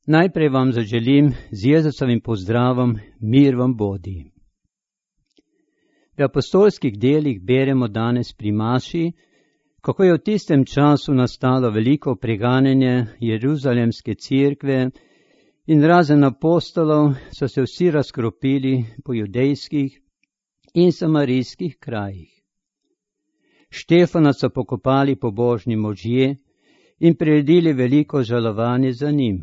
Najprej vam zaželim z Jezusovim pozdravom mir vam bodi. V apostolskih delih beremo danes pri maši, kako je v tistem času nastalo veliko preganjanje Jeruzalemske cerkve in razen apostolov so se vsi razkropili po judejskih in samarijskih krajih. Štefana so pokopali pobožni možje in priredili veliko žalovanje za njim.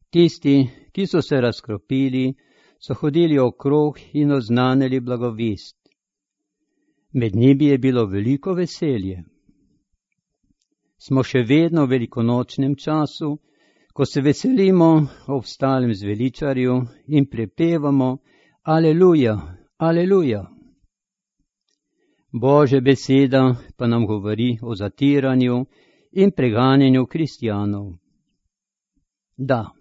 Tisti, ki so se razkropili, so hodili okrog in oznanili blagovest. Med njimi je bilo veliko veselje. Smo še vedno v velikonočnem času, ko se veselimo ob stalem zveličarju in prepevamo Aleluja, Aleluja. Božja beseda pa nam govori o zatiranju in preganjanju kristjanov. Da,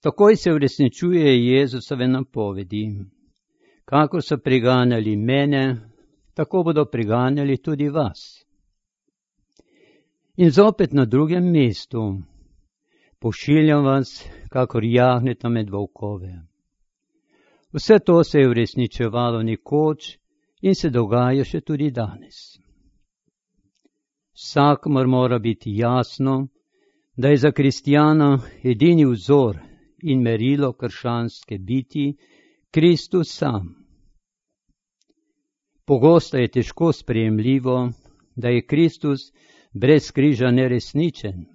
takoj se uresničuje Jezusove napovedi. Kakor so preganjali mene, tako bodo preganjali tudi vas. In zopet na drugem mestu, pošiljam vas, kakor jagneta med volkove. Vse to se je uresničevalo nekoč in se dogaja še tudi danes. Vsakomur mora biti jasno, da je za kristjana edini vzor in merilo krščanske biti Kristus sam. Pogosto je težko sprejemljivo, da je Kristus brez križa neresničen.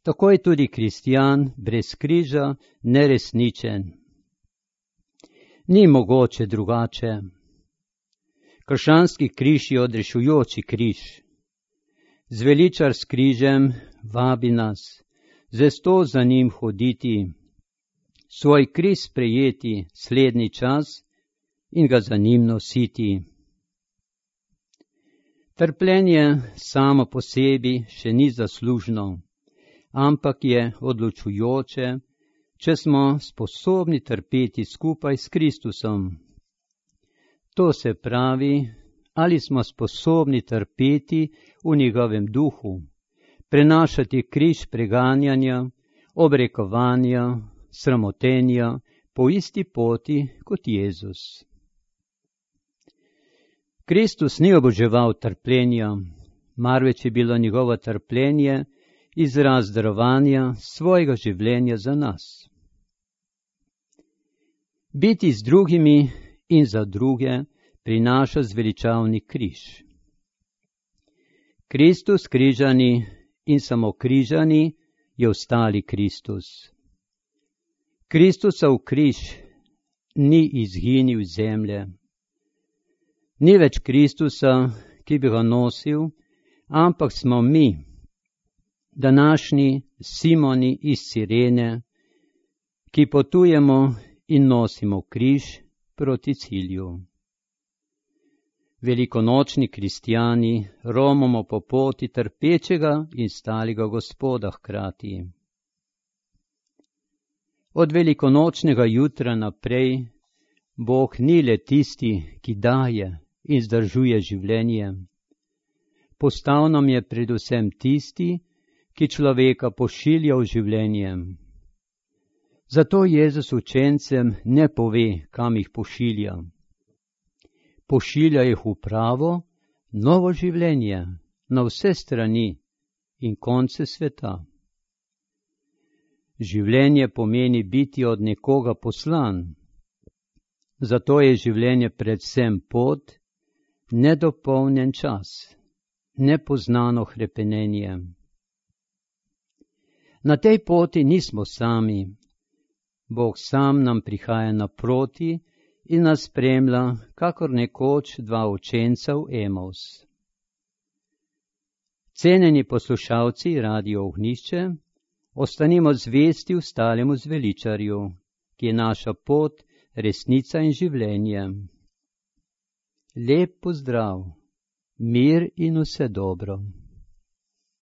Tako je tudi kristjan brez križa neresničen. Ni mogoče drugače. Krščanski križ je odrešujoči križ. Zveličar s križem vabi nas, zvesto za njim hoditi, svoj križ sprejeti slednji čas in ga za njim nositi. Trpljenje samo po sebi še ni zaslužno, ampak je odločujoče, če smo sposobni trpeti skupaj s Kristusom. To se pravi, ali smo sposobni trpeti v njegovem duhu, prenašati križ preganjanja, obrekovanja, sramotenja po isti poti kot Jezus. Kristus ni oboževal trpljenja, marveč je bilo njegovo trpljenje izraz darovanja svojega življenja za nas. Biti z drugimi in za druge prinaša zveličavni križ. Kristus križani in samo križani je ostali Kristus. Kristusov križ ni izginil iz zemlje. Ni več Kristusa, ki bi ga nosil, ampak smo mi, današnji Simoni iz Cirene, ki potujemo in nosimo križ proti cilju. Velikonočni kristjani romamo po poti trpečega in stalega Gospoda hkrati. Od velikonočnega jutra naprej Bog ni le tisti, ki daje in zdržuje življenje. Postal nam je predvsem tisti, ki človeka pošilja v življenje. Zato Jezus učencem ne pove, kam jih pošilja. Pošilja jih v pravo, novo življenje, na vse strani in konce sveta. Življenje pomeni biti od nekoga poslan. Zato je življenje predvsem pot, nedopolnjen čas, nepoznano hrepenenje. Na tej poti nismo sami. Bog sam nam prihaja naproti in nas spremlja, kakor nekoč dva učenca v Emaus. Cenjeni poslušalci Radio Ognjišče, ostanimo zvesti ostalemu zveličarju, ki je naša pot, resnica in življenje. Lep pozdrav, mir in vse dobro.